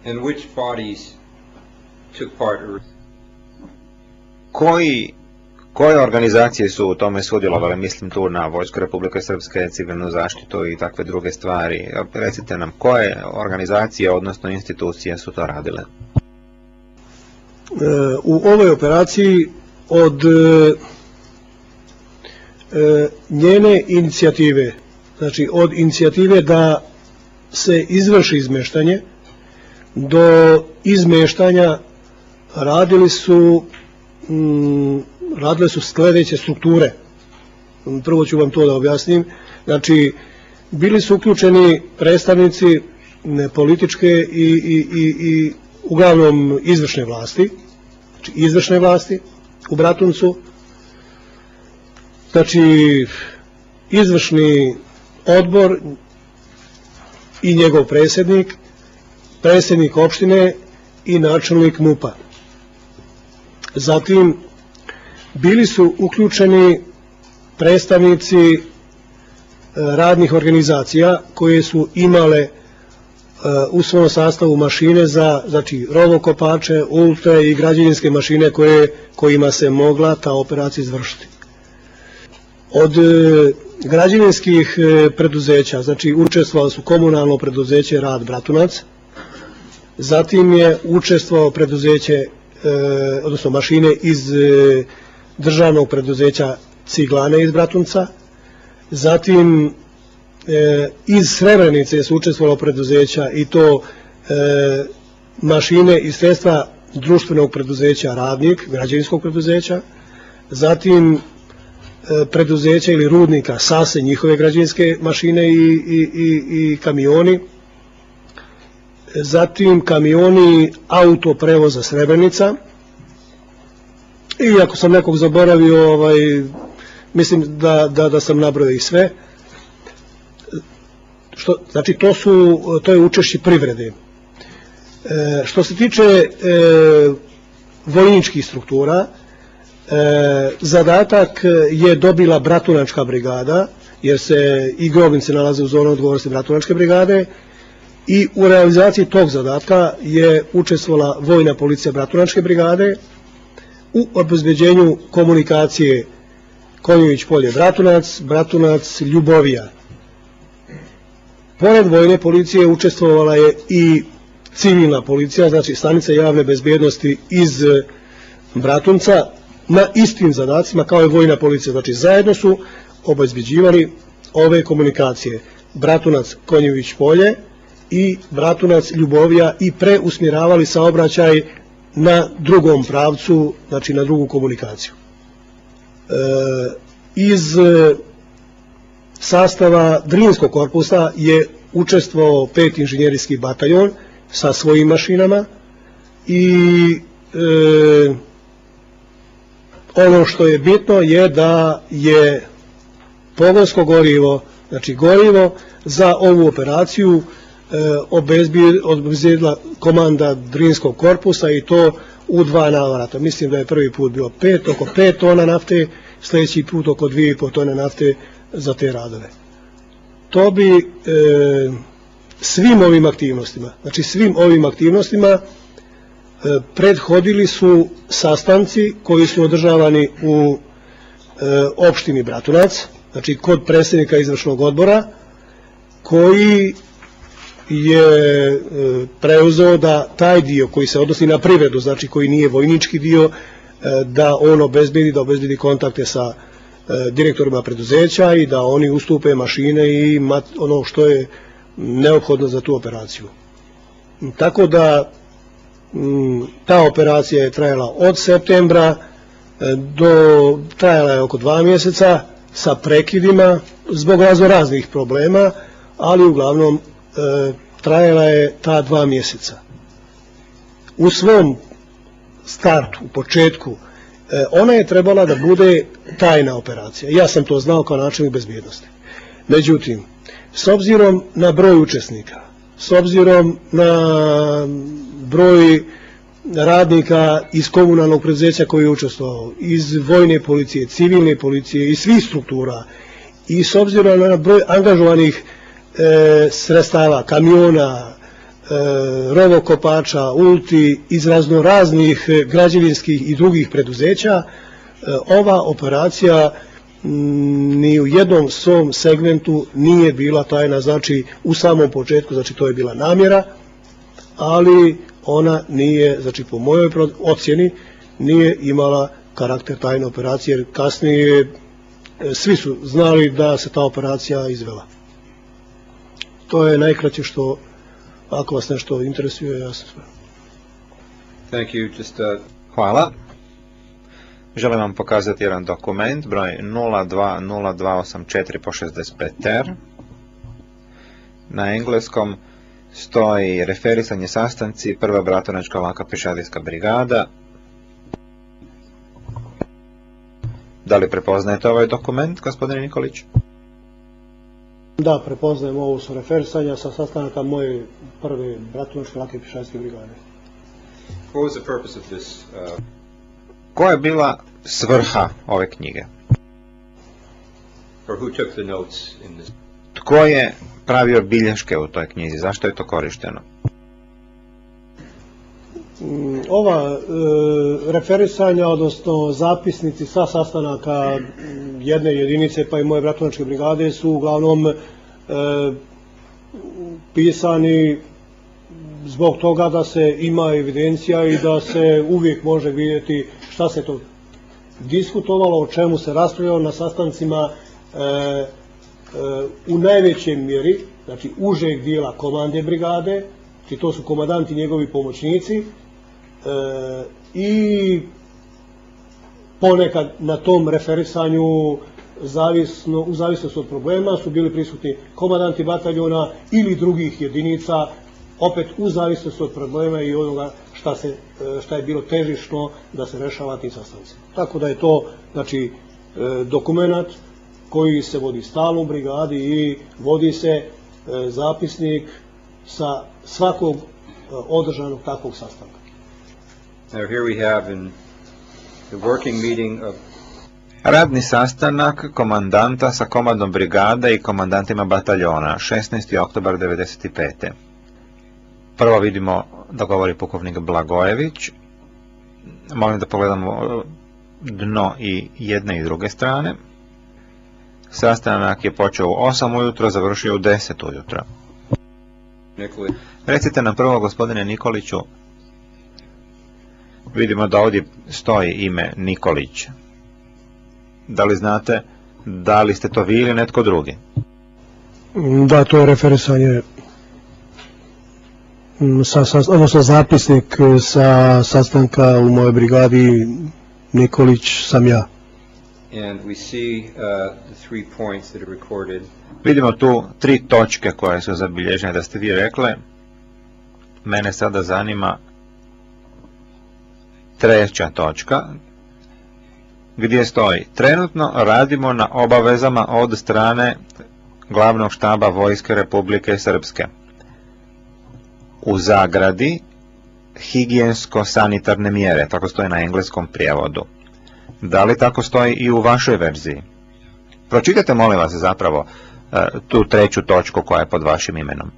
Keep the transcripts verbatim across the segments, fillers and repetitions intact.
And which bodies took part? Koji, koje organizacije su u tome sudjelovale? Mislim tu na Vojsku Republike Srpske, civilnu zaštitu i takve druge stvari. Recite nam, koje organizacije, odnosno institucije su to radile? U ovoj operaciji od njene inicijative, znači od inicijative da se izvrši izmeštanje, do izmeštanja radili su radile su sljedeće strukture. Prvo ću vam to da objasnim. Znači, bili su uključeni predstavnici političke i, i, i, i uglavnom izvršne vlasti, znači izvršne vlasti u Bratuncu, znači izvršni odbor i njegov predsjednik, predsjednik opštine i načelnik MUP-a. Zatim bili su uključeni predstavnici radnih organizacija koje su imale u svom sastavu mašine za, znači, rovokopače, ultre i građevinske mašine koje, kojima se mogla ta operacija izvršiti. Od građevinskih preduzeća, znači učestvovalo su komunalno preduzeće Rad Bratunac, zatim je učestvovalo preduzeće, odnosno mašine iz državnog preduzeća Ciglane iz Bratunca, zatim iz Srebrenice su učestvovalo preduzeća i to mašine i sredstva društvenog preduzeća Radnik, građevinskog preduzeća, zatim preduzeća ili rudnika Sase, njihove građevinske mašine i, i, i, i kamioni, zatim kamioni autoprevoza Srebrenica, i ako sam nekog zaboravio, ovaj, mislim da, da, da sam nabrojao i sve. Što, znači to, su, to je učešće privrede. E, što se tiče e, vojničkih struktura, e, zadatak je dobila Bratunačka brigada, jer se i Grobnice nalaze u zonu odgovornosti Bratunačke brigade, i u realizaciji tog zadatka je učestvovala Vojna policija Bratunačke brigade u obezbeđenju komunikacije Konjović polje Bratunac, Bratunac Ljubovija. Pored vojne policije učestvovala je i civilna policija, znači stanica javne bezbjednosti iz Bratunca, na istim zadacima kao i vojna policija. Znači zajedno su obezbeđivali ove komunikacije Bratunac Konjović polje i Bratunac Ljubovija i preusmjeravali saobraćaj na drugom pravcu, znači na drugu komunikaciju. E, iz sastava Drinskog korpusa je učestvovao peti inženjerijski bataljon sa svojim mašinama i e, ono što je bitno je da je pogonsko gorivo, znači gorivo za ovu operaciju obezbijedila komanda Drinskog korpusa i to u dva navrata. Mislim da je prvi put bilo pet, oko pet tona nafte, sljedeći put oko dvije i pol tone nafte za te radove. To bi e, svim ovim aktivnostima, znači svim ovim aktivnostima e, prethodili su sastanci koji su održavani u e, opštini Bratunac, znači kod predsjednika izvršnog odbora, koji je preuzeo da taj dio koji se odnosi na privredu, znači koji nije vojnički dio, da on obezbedi, da obezbedi kontakte sa direktorima preduzeća i da oni ustupe mašine i ono što je neophodno za tu operaciju. Tako da ta operacija je trajala od septembra do, trajala je oko dva mjeseca sa prekidima zbog raznih problema, ali uglavnom E, trajala je ta dva mjeseca. U svom startu, u početku, e, ona je trebala da bude tajna operacija. Ja sam to znao kao načelnik bezbjednosti. Međutim, s obzirom na broj učesnika, s obzirom na broj radnika iz komunalnog preduzeća koji je učestvovao, iz vojne policije, civilne policije i svih struktura, i s obzirom na broj angažovanih E, sredstava, kamiona, rovokopača, ulti, iz razno raznih građevinskih i drugih preduzeća, ova operacija ni u jednom svom segmentu nije bila tajna, znači u samom početku, znači to je bila namjera, ali ona nije, znači po mojoj ocjeni, nije imala karakter tajne operacije, jer kasnije svi su znali da se ta operacija izvela. To je najkraće što, ako vas nešto interesuje, ja sam sve. Thank you. Just, uh... Hvala. Želim vam pokazati jedan dokument, broj nula dva nula dva osam četiri po šezdeset pet er. Na engleskom stoji referisanje sastanci, prva bratunačka laka pješadijska brigada. Da li prepoznajete ovaj dokument, gospodine Nikolić? Da, prepoznajem, ovo su referisanja sa sastanaka moje prve bratunačke lake pješadijske brigade. What was the purpose of this? Uh... Koja je bila svrha ove knjige? Or who took the notes in this? Tko je pravio bilješke u toj knjizi? Zašto je to korišteno? Ova e, referisanja, odnosno zapisnici sa sastanaka jedne jedinice pa i moje bratunačke brigade su uglavnom e, pisani zbog toga da se ima evidencija i da se uvijek može vidjeti šta se to diskutovalo, o čemu se raspravljalo na sastancima e, e, u najvećoj mjeri, znači užeg dijela komande brigade, znači to su komandanti, njegovi pomoćnici, e, i ponekad na tom referisanju zavisno, u zavisnosti od problema su bili prisutni komandanti bataljona ili drugih jedinica, opet u zavisnosti od problema i onoga šta, se, šta je bilo težišno da se rešava tim sastancima. Tako da je to, znači, dokumenat koji se vodi stalno u brigadi i vodi se zapisnik sa svakog održanog takvog sastanka. Now here we have in the working meeting of Radni sastanak komandanta sa komandom brigade i komandantima bataljona, šesnaesti oktobar devedeset pete. Prvo vidimo da govori pukovnik Blagojević. Molim da pogledamo dno i jedne i druge strane. Sastanak je počeo u osam ujutro, završio u deset ujutro. Nikolić. Recite nam prvo, gospodine Nikoliću, vidimo da ovdje stoji ime Nikolić. Da li znate da li ste to vi ili netko drugi? Da, to je referisanje, sa, sa, odnosno zapisnik sa sastanka u mojoj brigadi. Nikolić sam ja. And we see uh, the three points that are recorded. Vidimo tu tri točke koje su zabilježene da ste vi rekle. Mene sada zanima treća točka, gdje stoji: trenutno radimo na obavezama od strane glavnog štaba Vojske Republike Srpske. U zagradi higijensko-sanitarne mjere, tako stoji na engleskom prijevodu. Da li tako stoji i u vašoj verziji? Pročitajte, molim vas, zapravo tu treću točku koja je pod vašim imenom.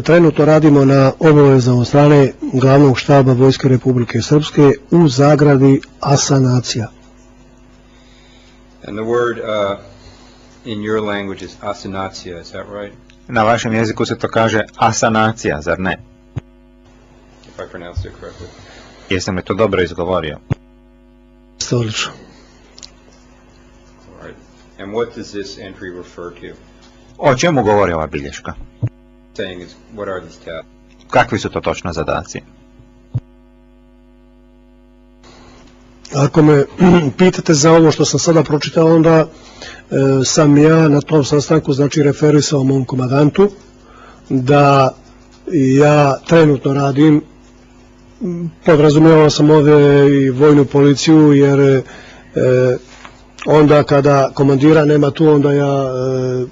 Trenutno radimo na obavezama od strane glavnog štaba Vojske Republike Srpske u zagradi asanacija. And the word uh, in your language is asanacija, is that right? Na vašem jeziku se to kaže asanacija, zar ne? If I pronounced it correctly. Jesam li to dobro izgovorio? Odlično. All right. And what does this entry refer to? O čemu govori ova bilješka? Saying is, what are these tasks? Kakvi su to točno zadaci? Ako me pitate za ovo što sam sada pročitao, onda e, sam ja na tom sastanku, znači, referisao mom komandantu da ja trenutno radim, podrazumijevao sam ovdje i vojnu policiju, jer e, onda kada komandira nema tu, onda ja e,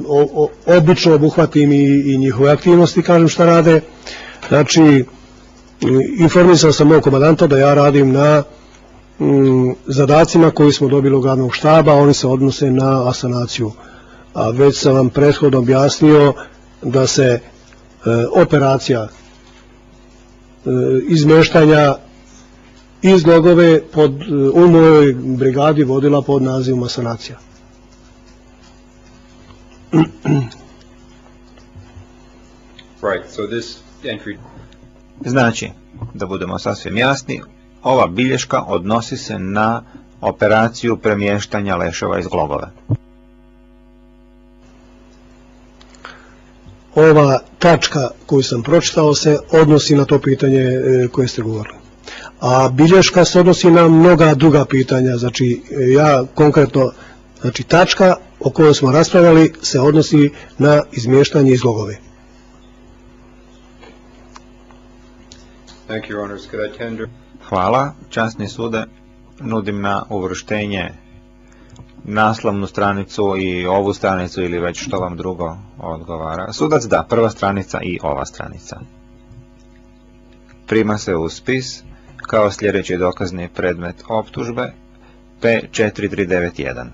o, o, obično obuhvatim i, i njihove aktivnosti, kažem šta rade. Znači, informisao sam mog komandanta da ja radim na m, zadacima koji smo dobili od glavnog štaba, oni se odnose na asanaciju. A već sam vam prethodno objasnio da se e, operacija e, izmeštanja iz Glogove pod, u mojoj brigadi vodila pod nazivom sanacija. Right, so this entry... Znači, da budemo sasvim jasni, ova bilješka odnosi se na operaciju premještanja leševa iz Glogove. Ova tačka koju sam pročitao se odnosi na to pitanje e, koje ste govorili. A bilješka se odnosi na mnoga druga pitanja, znači ja konkretno, znači tačka o kojoj smo raspravljali se odnosi na izmještanje iz Glogove. Thank you, Your Honors. Could I tender... Hvala, časni sude, nudim na uvrštenje naslovnu stranicu i ovu stranicu ili već što vam drugo odgovara. Sudac da, prva stranica i ova stranica. Prima se u spis kao sljedeći dokazni predmet optužbe P četiri tri devet jedan.